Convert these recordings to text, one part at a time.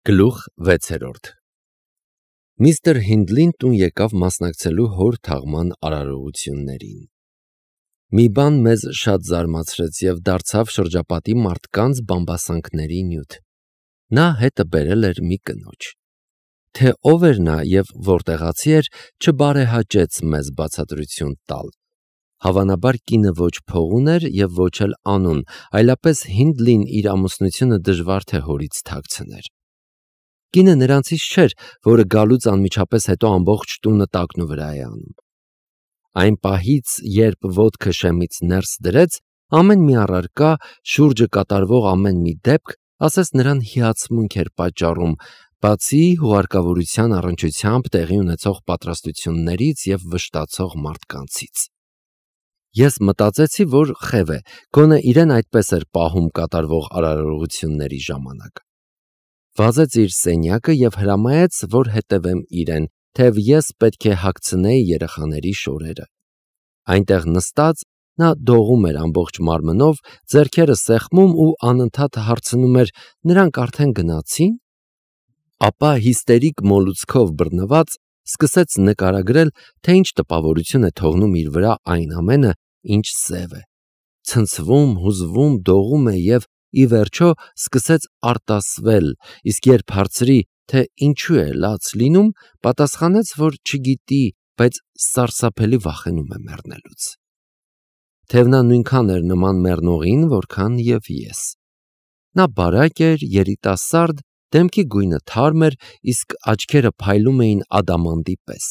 Գլուխ 6 Միստր Հինդլին տուն եկավ մասնակցելու հոր թաղման արարողություններին։ Մի բան մեզ շատ զարմացրեց և դարձավ շրջապատի մարդկանց բամբասանքների նյութ։ Նա հետը բերել էր մի կնոջ։ Թե ով էր նա և որտեղացի էր, չբարեհաճեց մեզ բացատրություն տալ։ Հավանաբար կինը ոչ փողուն էր և ոչ էլ անուն, այլապես Հինդլին իր ամուսնությունը դժվար թե հորից թաքցներ։ Կինը նրանցից չէր, որը գալուց անմիջապես հետո ամբողջ տունը տակնուվրա է անում։ Այն պահից, երբ ոտքը շեմից ներս դրեց, ամեն մի առարկա, շուրջը կատարվող ամեն մի դեպք, ասես նրան հիացմունք էր պատճառում, բացի հուղարկավորության առնչությամբ տեղի ունեցող պատրաստություններից և վշտացող մարդկանցից։ Ես մտածեցի, որ խև է, գոնե իրեն այդպես էր պահում կատարվող արարողությունների ժամանակ։ Վազեց իր սենյակը և հրամայեց, որ հետևեմ իրեն, թեև ես պետք է հագցնեի երեխաների շորերը։ Այնտեղ նստած նա դողում էր ամբողջ մարմնով, ձեռքերը սեղմում ու անընդհատ հարցնում էր. «Նրանք արդեն գնացի՞ն»։ Ապա հիստերիկ մոլուցքով բռնված սկսեց նկարագրել, թե ինչ տպավորություն է թողնում իր վրա այն ամենը, ինչ սև է։ Ցնցվում, հուզվում, դողում է և, ի վերջո, սկսեց արտասվել, իսկ երբ հարցրի, թե ինչու է լաց լինում, պատասխանեց, որ չգիտի, բայց սարսափելի վախենում է մեռնելուց։ Թեև նա նույնքան էր նման մեռնողին, որքան և ես։ Նա բարակ էր, երիտասարդ, դեմքի գույնը թարմ էր, իսկ աչքերը փայլում էին ադամանդի պես։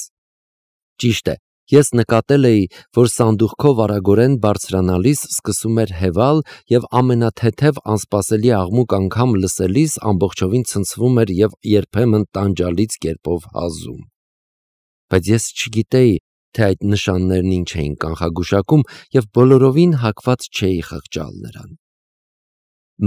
Ճիշտ է, ես նկատել էի, որ սանդուղքով արագորեն բարձրանալիս սկսում էր հևալ և ամենաթեթև անսպասելի աղմուկ անգամ լսելիս ամբողջովին ցնցվում էր և երբեմն տանջալից կերպով հազում։ Բայց ես չգիտեի, թե այդ նշաններն ինչ էին կանխագուշակում և բոլորովին հակված չէի խղճալ նրան։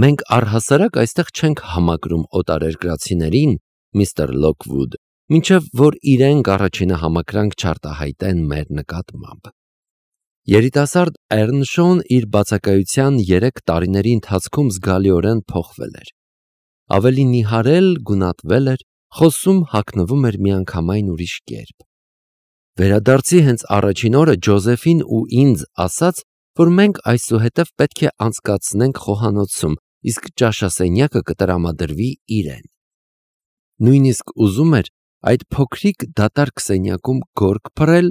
Մենք առհասարակ այստեղ չենք համակրում օտարերկրացիներին, միստր Լոքվուդ, մինչև որ իրենք առաջինը համակրանք չարտահայտեն մեր նկատմամբ։ Երիտասարդ Էռնշոուն իր բացակայության 3 տարիների ընթացքում զգալիորեն փոխվել էր։ Ավելի նիհարել, գունատվել էր, խոսում, հագնվում էր միանգամայն ուրիշ կերպ։ Վերադարձի հենց առաջին օրը Ջոզեֆին ու ինձ ասաց, որ մենք այսուհետև պետք է անցկացնենք խոհանոցում, իսկ ճաշասենյակը կտրամադրվի իրեն։ Նույնիսկ ուզում էր այդ փոքրիկ դատարկ սենյակում գորգ փռել,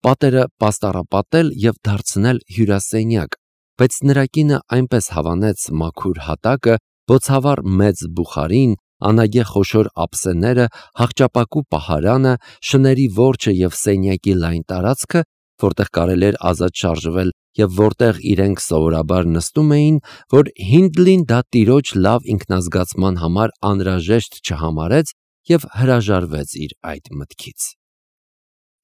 պատերը պաստառապատել և դարձնել հյուրասենյակ, բայց նրա կինը այնպես հավանեց մաքուր հատակը, բոցավառ մեծ բուխարին, անագե խոշոր ափսեները, հախճապակու պահարանը, շների որջը և սենյակի լայն տարածքը, որտեղ կարելի էր ազատ շարժվել և որտեղ իրենք սովորաբար նստում էին, որ Հինդլին դա տիրոջ լավ ինքնազգացման համար անհրաժեշտ չհամարեց և հրաժարվեց իր այդ մտքից։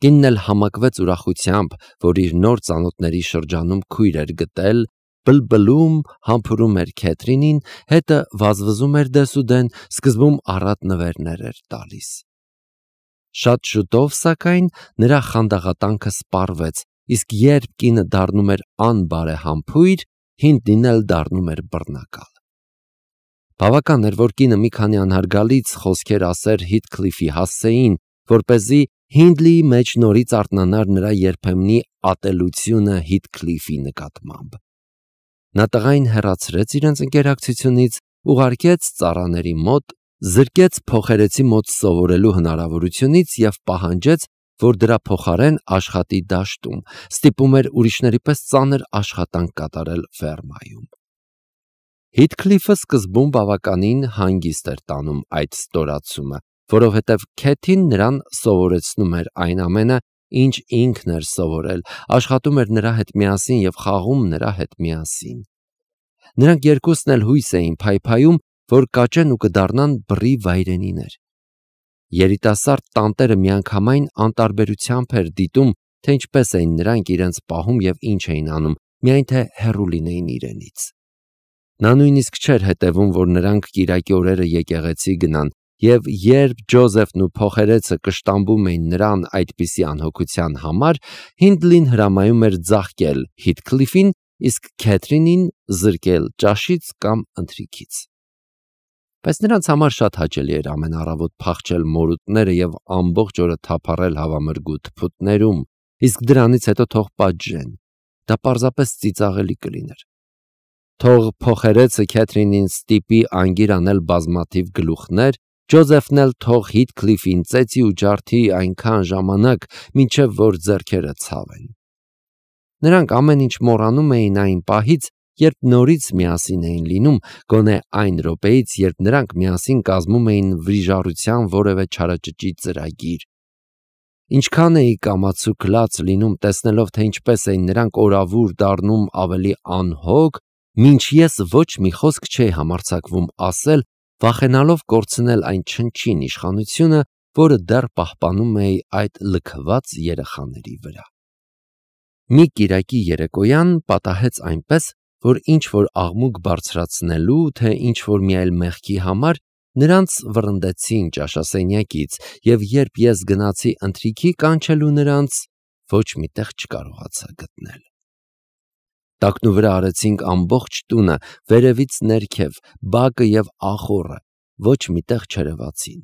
Կինն էլ համակվեց ուրախությամբ, որ իր նոր ծանոթների շրջանում քույր էր գտել, բլբլում, համբուրում էր Քեթրինին, հետը վազվզում էր դեսուդեն, սկզբում առատ նվերներ էր տալիս։ Շատ շուտով, սակայն, նրա խանդաղատանքը սպառվեց, իսկ երբ կինը դառնում էր անբարեհամբույր, Հինդլինն էլ դառնում էր բռնակալ։ Բավական էր, որ կինը մի քանի անհարգալից խոսքեր ասեր Հիթքլիֆի հասցեին, որպեսզի Հինդլիի մեջ նորից արթնանար նրա երբեմնի ատելությունը Հիթքլիֆի նկատմամբ։ Նա տղային հեռացրեց իրենց ընկերակցությունից, ուղարկեց ծառաների մոտ, զրկեց փոխերեցի մոտ սովորելու հնարավորությունից և պահանջեց, որ դրա փոխարեն աշխատի դաշտում, ստիպում էր ուրիշների պես ծանր աշխատանք կատարել ֆերմայում։ Հիթքլիֆը սկզբում բավականին հանգիստ էր տանում այդ ստորացումը, որովհետև Քեթին նրան սովորեցնում էր այն ամենը, ինչ ինքն էր սովորել, աշխատում էր նրա հետ միասին և խաղում նրա հետ միասին։ Նրանք երկուսն էլ հույս էին փայփայում, որ կաճեն ու կդառնան բռի վայրենիներ։ Երիտասարդ տանտերը միանգամայն անտարբերությամբ էր դիտում, թե ինչպես էին նրանք իրենց պահում և ինչ էին անում, միայն թե հեռու լինեին իրենից։ Նա նույնիսկ չէր հետևում, որ նրանք կիրակի օրերը եկեղեցի գնան, և երբ Ջոզեֆն ու փոխերեցը կշտամբում էին նրան այդպիսի անհոգության համար, Հինդլին հրամայում էր ձաղկել Հիթքլիֆին, իսկ Քեթրինին զրկել ճաշից կամ ընթրիքից։ բայց նրանց համար շատ հաճելի էր ամեն առավոտ փախչել մորուտները եւ ամբողջ օրը թափառել հավամրգու թփուտներում, իսկ դրանից հետո թող պատժեն։ Դա պարզապես ծիծաղելի կլիներ։ Թող փոխերեցը Քեթրինին ստիպի անգիր անել բազմաթիվ գլուխներ, Ջոզեֆն էլ թող Հիթքլիֆին ծեծի ու ջարդի այնքան ժամանակ, մինչև որ ձեռքերը ցավեն։ Նրանք ամեն ինչ մոռանում էին այն պահից, երբ նորից միասին էին լինում, գոնե այն րոպեից, երբ նրանք միասին կազմում էին վրիժառության որևէ չարաճճի ծրագիր։ Ինչքան էի կամացուկ լաց լինում, տեսնելով, թե ինչպես էին նրանք օրավուր դառնում ավելի անհոգ, մինչ ես ոչ մի խոսք չէի համարձակվում ասել, վախենալով կորցնել այն չնչին իշխանությունը, որը դեռ պահպանում էի այդ լքված երեխաների վրա։ Մի կիրակի երեկոյան պատահեց այնպես, որ ինչ-որ աղմուկ բարձրացնելու, թե ինչ-որ մի այլ մեղքի համար նրանց վռնդեցին ճաշասենյակից, և երբ ես գնացի ընթրիքի կանչելու նրանց, ոչ մի տեղ չկարողացա գտնել։ Տակնուվրա արեցինք ամբողջ տունը, վերևից ներքև, բակը և ախոռը, ոչ մի տեղ չերևացին։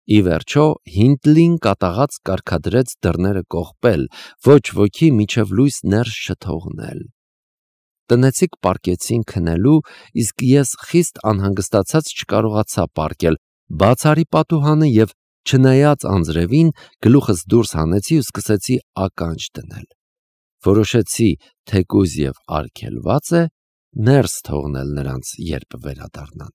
Ի վերջո Հինտլին կատաղած կարգադրեց դռները կողպել, ոչ ոքի մինչև լույս ներս չթողնել։ Տնեցիք պառկեցին քնելու, իսկ ես խիստ անհանգստացած չկարողացա պառկել, բաց արի պատուհանը և, չնայած անձրևին, գլուխս դուրս հանեցի ու սկսեցի ականջ դնել։ Որոշեցի, թեկուզ և արգելված է, ներս թողնել նրանց, երբ վերադառնան։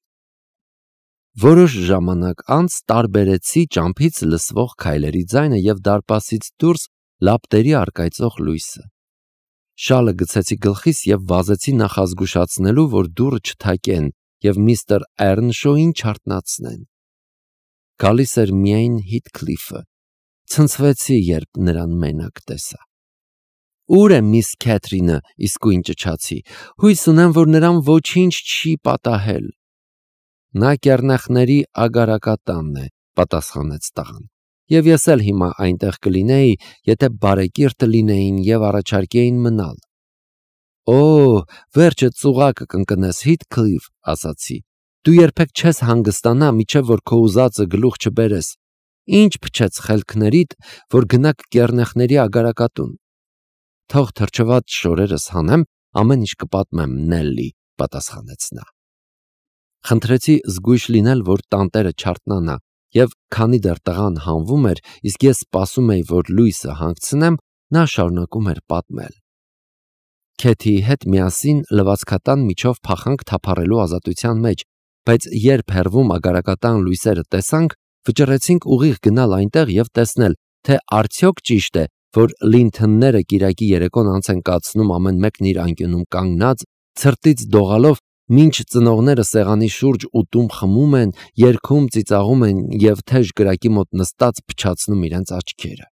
Որոշ ժամանակ անց տարբերեցի ճամփից լսվող քայլերի ձայնը և դարպասից դուրս լապտերի առկայծող լույսը։ Շալը գցեցի գլխիս և վազեցի նախազգուշացնելու, որ դուռը չթակեն և միստր Էռնշոուին չարթնացնեն։ Գալիս էր միայն Հիթքլիֆը։ Ցնցվեցի, երբ նրան մենակ տեսա։ Ո՞ւր է միս Քեթրինը, իսկույն ճչացի։ Հույս ունեմ, որ նրան ոչինչ չի պատահել։ Նա կեռնեխների ագարակատանն է, պատասխանեց տղան, և ես էլ հիմա այնտեղ կլինեի, եթե բարեկիրթ լինեին և առաջարկեին մնալ։ Օ, վերջը ծուղակը կընկնես, Հիթքլիֆ, ասացի, դու երբեք չես հանգստանա, մինչև որ քո ուզածը գլուխ չբերես։ Ինչ փչեց խելքներիդ, որ գնաք կեռնեխների ագարակատուն։ Թող թրջված շորերս հանեմ, ամեն ինչ կպատմեմ, Նելլի, պատասխանեց նա։ Խնդրեցի զգույշ լինել, որ տանտերը չարթնանա, և քանի դեռ տղան հանվում էր, իսկ ես սպասում էի, որ լույսը հանգցնեմ, նա շարունակում էր պատմել։ Քեթիի հետ միասին լվացքատան միջով փախանք թափառելու ազատության մեջ, բայց երբ հեռվում ագարակատան լույսերը տեսանք, վճռեցինք ուղիղ գնալ այնտեղ և տեսնել, թե արդյոք ճիշտ է, որ Լինթոնները կիրակի երեկոն անց են կացնում ամեն մեկն իր անկյունում կանգնած, ցրտից դողալով, մինչ ծնողները սեղանի շուրջ ուտում խմում են, երգում ծիծաղում են և թեժ կրակի մոտ նստած փչացնում իրենց աչքերը։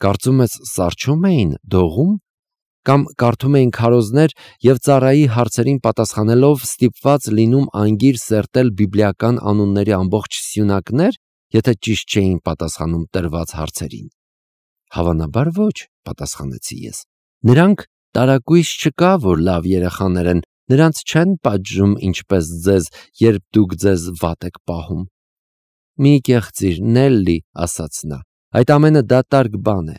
Կարծում ես սառչում էին, դողում, կամ կարդում էին քարոզներ և ծառայի հարցերին պատասխանելով ստիպված լինում անգիր սերտել բիբլիական անունների ամբողջ սյունակներ, եթե ճիշտ չէին պատասխանում տրված հարցերին։ Հավանաբար ոչ, պատասխանեցի ես։ Նրանք տարակույս չկա, որ լավ երեխաներ են, նրանց չեն պատժում ինչպես ձեզ, երբ դուք ձեզ վատ եք պահում։ Մի կեղծիր, Նելլի, ասաց նա, այդ ամենը դատարկ բան է։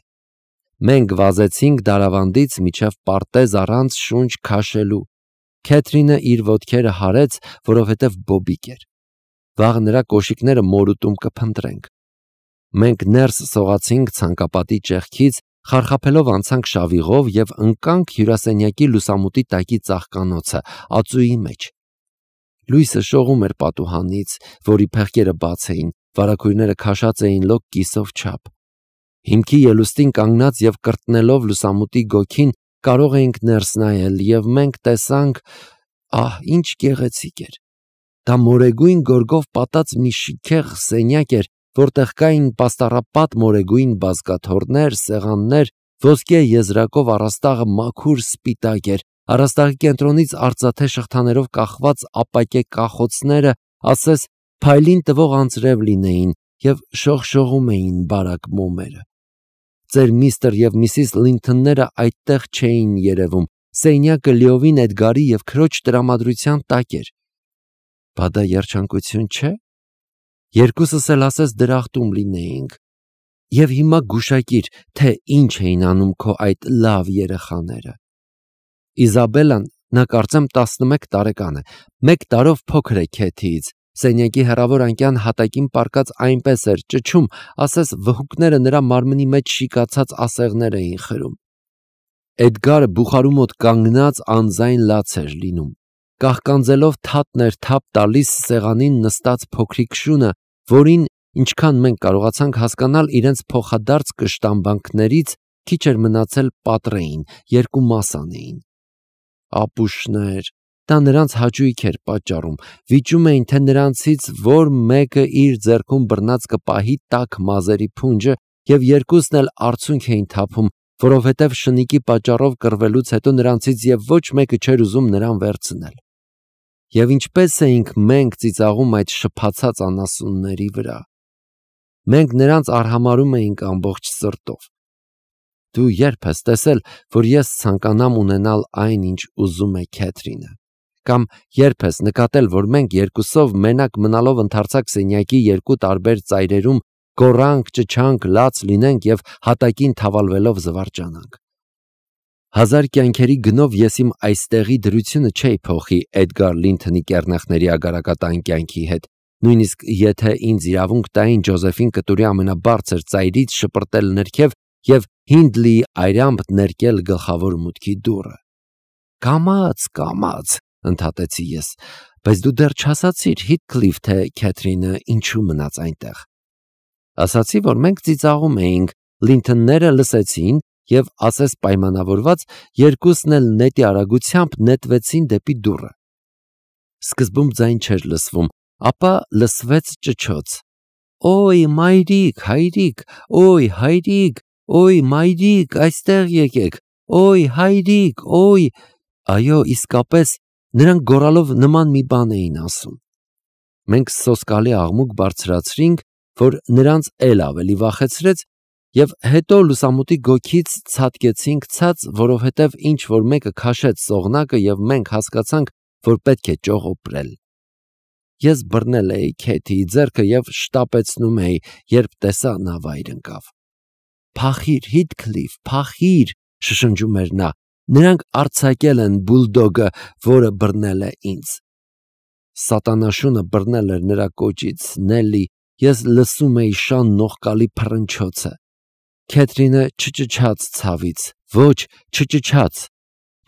Մենք վազեցինք դարավանդից մինչև պարտեզ առանց շունչ քաշելու։ Քեթրինը իր ոտքերը հարեց, որովհետև բոբիկ էր։ Վաղ նրա կոշիկները մորուտում կփնտրենք։ Մենք ներս սողացինք ցանկապատի ճեղքից, խարխափելով անցանք շավիղով և ընկանք հյուրասենյակի լուսամուտի տակի ծաղկանոցը, ածուի մեջ։ Լույսը շողում էր պատուհանից, որի փեղկերը բաց էին, վարագույրները քաշած էին լոկ կիսով չափ։ Հիմքի ելուստին կանգնած և կրտնելով լուսամուտի գոգին կարող էինք ներս նայել, և մենք տեսանք, ահ, ինչ գեղեցիկ էր։ Դա մորեգույն գորգով պատած մի շքեղ սենյակ էր, որտեղ կային պաստառապատ մորեգույն բազկաթոռներ, սեղաններ, ոսկե եզրակով առաստաղը մաքուր սպիտակ էր, առաստաղի կենտրոնից արծաթե շղթաներով կախված ապակե կախոցները, ասես փայլին տվող անձրև լինեին և շողշողում էին բարակ մոմերը։ Ձեր միստր և միսիս Լինթոնները այդտեղ չէին երևում, սենյակը լիովին Էդգարի և քրոջ տրամադրության տակ էր։ Բա դա երջանկություն չէ։ Երկուսս էլ ասես դրախտում լինեինք։ Եվ հիմա գուշակիր, թե ինչ էին անում քո այդ լավ երեխաները։ Իզաբելան, նա կարծեմ 11 տարեկան է, 1 տարով փոքր է Քեթիից, սենյակի հեռավոր անկյան հատակին պառկած այնպես էր ճչում, ասես վհուկները նրա մարմնի մեջ շիկացած ասեղներ էին խրում։ Էդգարը բուխարու մոտ կանգնած անձայն լաց էր լինում, կահկանձելով թաթն էր թափ տալիս սեղանին նստած փոքրիկ շունը, որին, ինչքան մենք կարողացանք հասկանալ իրենց փոխադարձ կշտամբանքներից, քիչ էր մնացել պատռեին, 2 մաս անեին։ Ապուշներ, դա նրանց հաճույք էր պատճառում, վիճում էին, թե նրանցից որ մեկը իր ձեռքում բռնած կպահի տաք մազերի փունջը, եւ երկուսն էլ արցունք էին թափում, որովհետև շնիկի պատճառով կռվելուց հետո նրանցից եւ ոչ մեկը չէր ուզում նրան վերցնել։ Եվ ինչպես էինք մենք ծիծաղում այդ շփացած անասունների վրա։ Մենք նրանց արհամարհում էինք ամբողջ սրտով։ Դու երբ ես տեսել, որ ես ցանկանամ ունենալ այն, ինչ ուզում է Քեթրինը, կամ երբ ես նկատել, որ մենք երկուսով մենակ մնալով ընդարձակ սենյակի 2 տարբեր ծայրերում գոռանք, ճչանք, լաց լինենք եւ հատակին թավալվելով զվարճանանք։ 1000 կյանքերի գնով ես իմ այստեղի դրությունը չէի փոխի Էդգար Լինթոնի կեռնեխների ագարակատան կյանքի հետ, նույնիսկ եթե ինձ իրավունք տային Ջոզեֆին կտուրի ամենաբարձր ծայրից շպրտել ներքև եւ Հինդլիի այրամբ ներկել գլխավոր մուտքի դուռը։ Կամաց, ընդհատեցի ես, բայց դու դեռ չասացիր Հիթքլիֆ, թե Քեթրինը ինչու մնաց այնտեղ։ Ասացի, որ մենք ծիծաղում էինք, Լինթոնները լսեցին եւ ասես պայմանավորված երկուսն էլ նետի արագությամբ նետվեցին դեպի դուռը։ Սկզբում ձայն չէր լսվում, ապա լսվեց ճչոց. «Օй, մայրիկ, հայրիկ, օй, հայրիկ, օй, մայրիկ, այստեղ եկեք, օй, հայրիկ, օй»։ Այո, իսկապես, նրանք գոռալով նման մի բան էին ասում։ Մենք սոսկալի աղմուկ բարձրացրինք, որ նրանց էլ ավելի վախեցրեց, եւ հետո լուսամուտի գոգից ցատկեցինք ցած, որովհետև ինչ որ մեկը քաշեց սողնակը եւ մենք հասկացանք, որ պետք է ճողոպրել։ Ես բռնել էի Քեթիի ձեռքը եւ շտապեցնում էի, երբ տեսա նա վայր ընկավ։ «Փախիր, Հիթքլիֆ, փախիր», շշնջում էր նա, «նրանք արձակել են բուլդոգը, որը բռնել է ինձ»։ Սատանաշունը բռնել էր նրա կոճից, Նելի, ես լսում էի շան նողկալի փռնչոցը։ Քեթրինը չճչաց ցավից, ոչ, չճչաց,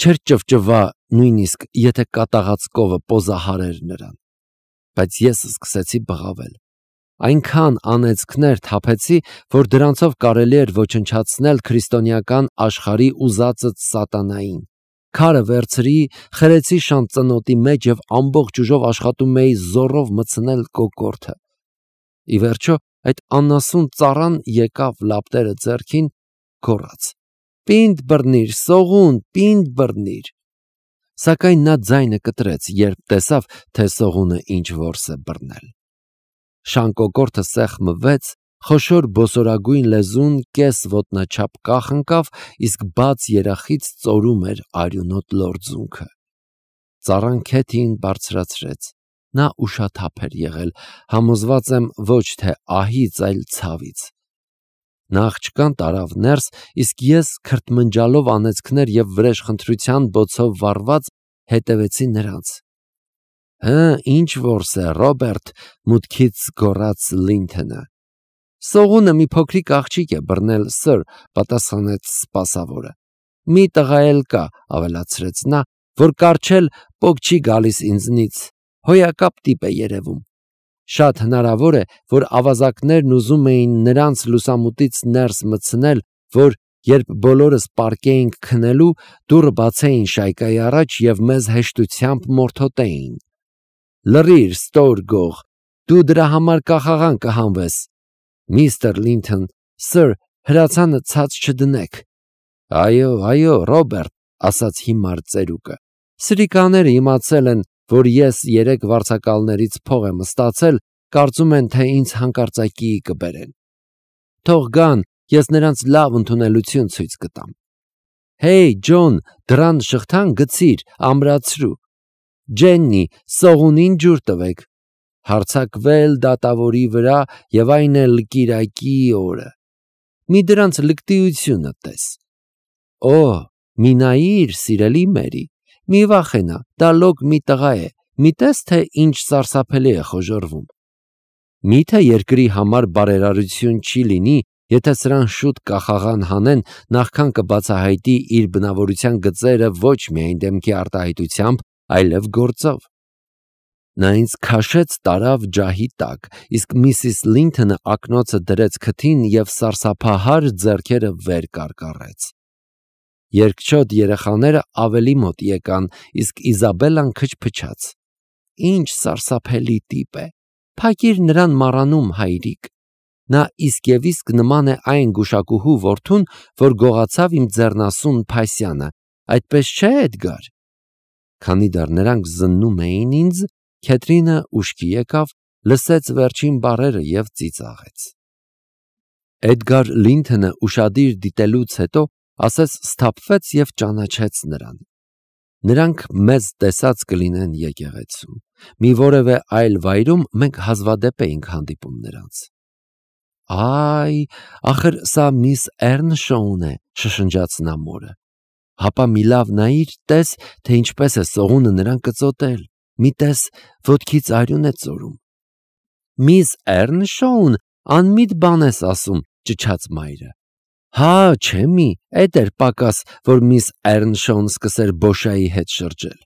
չէր ճվճվա, նույնիսկ եթե կատաղած կովը պոզահարեր նրան։ Բայց ես սկսեցի բղավել։ Այնքան անեծքներ թափեցի, որ դրանցով կարելի էր ոչնչացնել քրիստոնեական աշխարհի ուզածը սատանային։ Քարը վերցրի, խրեցի շան ծնոտի մեջ եւ ամբողջ ուժով աշխատում էի զոռով մտցնել կոկորդը։ Ի վերջո այդ անասուն ծառան եկավ լապտերը ձեռքին, գոռաց. «Պինդ բռնիր, սողուն, պինդ բռնիր»։ Սակայն նա ձայնը կտրեց, երբ տեսավ, թե սողունը ինչ որս է բռնել։ Շան կոկորդը սեղմվեց, խոշոր բոսորագույն լեզուն կես ոտնաչափ կախ, իսկ բաց երախից ծորում էր արյունոտ լորձունքը։ Ծառան Քեթիին բարձրացրեց։ Նա ուշաթափ էր եղել, համոզված եմ ոչ թե ահից, այլ ցավից։ Նա աղջկան տարավ ներս, իսկ ես քրթմնջալով անեծքներ եւ վրեժխնդրության բոցով վառված հետևեցի նրանց։ «Հը, ինչ որս է, Ռոբերտ», մուտքից գոռաց Լինթոնը։ «Սողունը մի փոքրիկ աղջիկ է բռնել, սըր», պատասխանեց սպասավորը։ «Մի տղա էլ կա», ավելացրեց նա, «որ կառչել պոկ չի գալիս ինձնից, հոյակապ տիպ է երևում։ Շատ հնարավոր է, որ ավազակներն ուզում էին նրանց լուսամուտից ներս մտցնել, որ երբ բոլորս պառկեինք քնելու, դուռը բացեին շայկայի առաջ եւ մեզ հեշտությամբ մորթոտեին։ Լռիր, ստոր գող, դու դրա համար կախաղան կհանվես։ Միստր Լինթոն, սըր, հրացանը ցած չդնեք։ Այո, Ռոբերտ, ասաց հիմար ծերուկը։ Սրիկաները իմացել են, որ ես 3 վարձակալներից փող եմ ստացել, կարծում են, թե ինձ հանկարծակիի կբերեն։ Թող գան, ես նրանց լավ ընդունելություն ցույց կտամ։ Հեյ, Ջոն, դռան շղթան գցիր, ամրացրու։ Ջեննի, սողունին ջուր տվեք, հարձակվել դատավորի վրա և այն էլ կիրակի օրը։ Մի դրանց լկտիությունը տես։ Օ, մի նայիր, սիրելի Մերի, մի վախենա, դա լոկ մի տղա է, մի տես, թե ինչ սարսափելի է խոժոռվում։ Միթե երկրի համար բարերարություն չի լինի, եթե սրան շուտ կախաղան հանեն, նախքան կբացահայտի իր բնավորության գծերը ոչ միայն դեմքի արտահայտությամբ, այլև գործով։ Նա ինձ քաշեց տարավ ջահի տակ, իսկ Միսիս Լինթոնը ակնոցը դրեց քթին և սարսափահար ձեռքերը վեր կարկառեց։ Երկչոտ երեխաները ավելի մոտ եկան, իսկ Իզաբելլան քչփչաց։ Ինչ սարսափելի տիպ է, փակիր նրան մառանում, հայրիկ։ Նա իսկ և իսկ նման է այն գուշակուհու որդուն, որ գողացավ իմ ձեռնասուն Փասյանը, այդպես չէ, Էդգար։ Քանի դեռ նրանք զննում էին ինձ, Քեթրինը ուշքի եկավ, լսեց վերջին բառերը և ծիծաղեց։ Էդգար Լինթոնը ուշադիր դիտելուց հետո ասես սթափվեց և ճանաչեց նրան։ Նրանք մեզ տեսած կլինեն եկեղեցում, մի որևէ այլ վայրում մենք հազվադեպ էինք հանդիպում նրանց։ Այ, ախր սա միս Էռնշոուն է, շշնջաց նա մորը։ Հապա մի լավ նայիր, տես, թե ինչպես է սողունը նրան կծոտել, մի տես, ոտքից արյուն է ծորում։ Միս Էռնշոուն, անմիտ բան ես ասում, ճչաց մայրը։ Հա, չէ՞ մի, էդ էր պակաս, որ միս Էռնշոուն սկսեր Բոշայի հետ շրջել։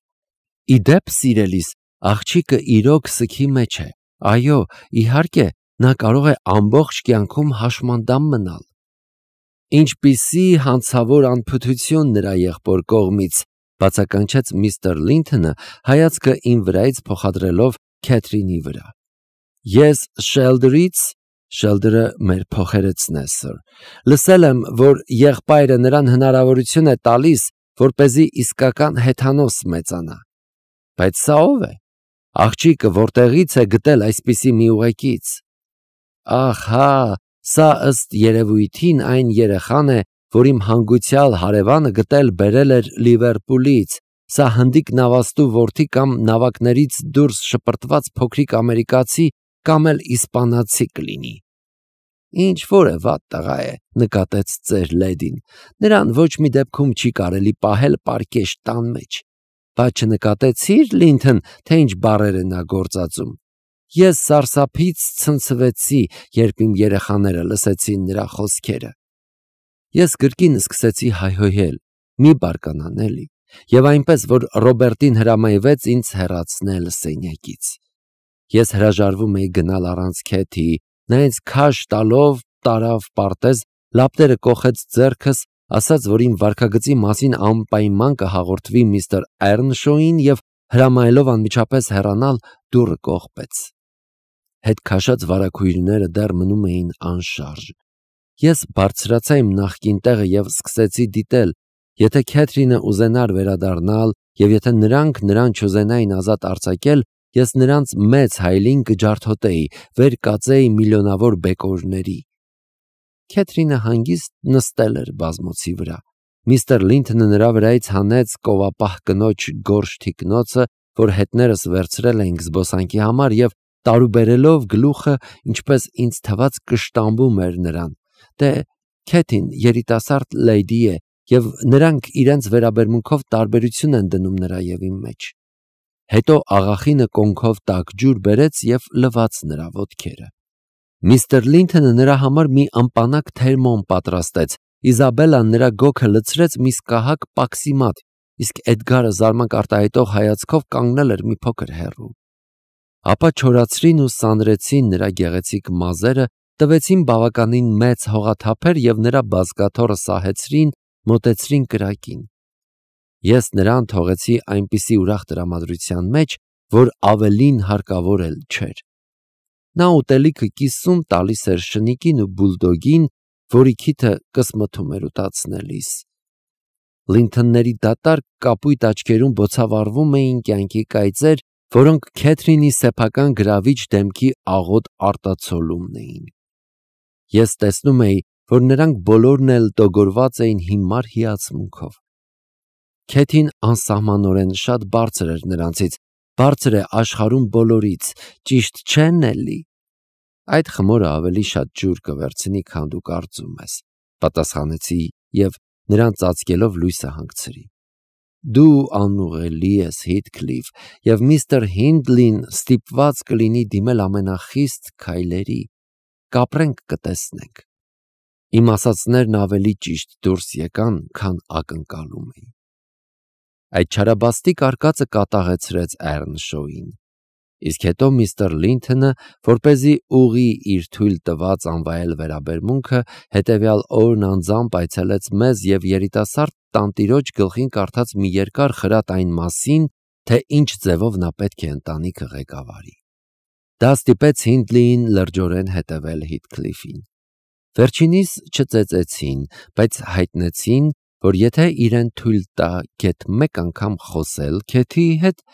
Իդեպ, սիրելիս, աղջիկը իրոք սգի մեջ է, այո, իհարկե, նա կարող է ամբողջ կյանքում հաշմանդամ մնալ։ Ինչպիսի հանցավոր անփութություն նրա եղբոր կողմից, բացականչեց միստր Լինթոնը, հայացքը իմ վրայից փոխադրելով Քեթրինի վրա։ Ես Շելդրից, Շելդրը մեր փոխերեցն է, սըր, լսել եմ, որ եղբայրը նրան հնարավորություն է տալիս, որպեսզի իսկական հեթանոս մեծանա։ Բայց սա ո՞վ է։ Աղջիկը որտեղից է գտել այսպիսի մի ուղեկից։ Ահա, սա ըստ երևույթին այն երեխան է, որ իմ հանգուցյալ հարևանը գտել-բերել էր Լիվերպուլից, սա հնդիկ նավաստու որդի կամ նավակներից դուրս շպրտված փոքրիկ ամերիկացի կամ էլ իսպանացի կլինի։ Ինչ-որ է վատ տղա է, նկատեց ծեր լեդին, նրան ոչ մի դեպքում չի կարելի պահել պարկեշտ տան մեջ։ Բայց չնկատեցի՞ր, Լինթոն, թե ինչ բառեր է նա գործածում։ Ես սարսափից ցնցվեցի, երբ իմ երեխաները լսեցին նրա խոսքերը։ Ես կրկին սկսեցի հայհոյել, մի բարկանան էլի, և այնպես, որ Ռոբերտին հրամայվեց ինձ հեռացնել սենյակից։ Ես հրաժարվում էի գնալ առանց Քեթի, նա ինձ քաշ տալով տարավ պարտեզ, լապտերը կոխեց ձեռքս, ասաց, որ իմ վարքագծի մասին անպայման կհաղորդվի միստր Էռնշոուին և հրամայելով անմիջապես հեռանալ, դուռը կողպեց։ Հետ քաշած վարագույրները դեռ մնում էին անշարժ։ Ես բարձրացա իմ նախկին տեղը և սկսեցի դիտել, եթե Քեթրինը ուզենար վերադառնալ և եթե նրանք նրան չուզենային ազատ արձակել, ես նրանց մեծ հայելին կջարդոտեի, վեր կածեի միլիոնավոր բեկորների։ Քեթրինը հանգիստ նստել էր բազմոցի վրա։ Միստր Լինթոնը նրա վրայից հանեց կովապահ կնոջ գորշ թիկնոցը, որ հետներս վերցրել էինք զբոսանքի համար և տարուբերելով գլուխը, ինչպես ինձ թվաց, կշտամբում էր նրան։ Դե, Քեթին երիտասարդ լեյդի է, և նրանք իրենց վերաբերմունքով տարբերություն են դնում նրա և իմ մեջ։ Հետո աղախինը կոնքով տաք ջուր բերեց և լվաց նրա ոտքերը։ Միստր Լինթոնը նրա համար մի ըմպանակ թերմոն պատրաստեց, Իզաբելլան նրա գոգը լցրեց մի սկահակ պաքսիմատ, իսկ Էդգարը զարմանք արտահայտող հայացքով կանգնել էր մի փոքր հեռու։ Ապա չորացրին ու սանրեցին նրա գեղեցիկ մազերը, տվեցին բավականին մեծ հողաթափեր և նրա բազկաթոռը սահեցրին, մոտեցրին կրակին։ Ես նրան թողեցի այնպիսի ուրախ տրամադրության մեջ, որ ավելին հարկավոր էլ չէր։ Նա ուտելիքը կիսում տալիս էր շնիկին ու բուլդոգին, որի քիթը կսմթում էր ուտացնելիս։ Լինթոնների դատարկ կապույտ աչքերում բոցավառվում էին կյանքի կայծեր, որոնք Քեթրինի սեփական գրավիչ դեմքի աղոտ արտացոլումն էին։ Ես տեսնում էի, որ նրանք բոլորն էլ տոգորված էին հիմար հիացմունքով։ Քեթին անսահմանորեն շատ բարձր էր նրանցից, բարձր է աշխարհում բոլորից, ճիշտ չէ՞, Նելլի։ Այդ խմորը ավելի շատ ջուր կվերցնի, քան դու կարծում ես, պատասխանեցի և նրան ծածկելով լույսը հանգցրի։ Դու անուղելի ես, Հիթքլիֆ, և միստր Հինդլին ստիպված կլինի դիմել ամենախիստ քայլերի։ Կապրենք, կտեսնենք։ Իմ ասածներն ավելի ճիշտ դուրս եկան, քան ակնկալում էի։ Այդ չարաբաստիկ արկածը կատաղեցրեց Էռնշոուին։ Իսկ հետո միստր Լինթոնը, որպեսզի ուղղի իր թույլ տված անվայել վերաբերմունքը, հետևյալ օրն անձամբ այցելեց մեզ և երիտասարդ տանտիրոջ գլխին կարդաց մի երկար խրատ այն մասին, թե ինչ ձևով նա պետք է ընտանիքը ղեկավարի։ Դա ստիպեց Հինդլիին լրջորեն հետևել Հիթքլիֆին։ Վերջինիս չծեծեցին, բայց հայտնեցին, որ եթե իրեն թույլ տա գեթ մեկ անգամ խոսել Քեթիի հետ,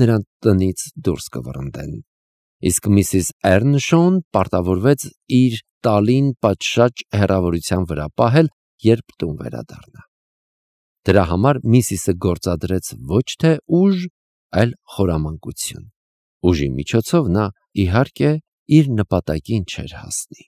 նրան տնից դուրս կվռնդեն։ Իսկ Միսիս Էռնշոուն պարտավորվեց իր տալին պատշաճ հեռավորության վրա պահել, երբ տուն վերադառնա։ Դրա համար Միսիսը գործադրեց ոչ թե ուժ, այլ խորամանկություն։ Ուժի միջոցով նա, իհարկե, իր նպատակին չէր հասնի։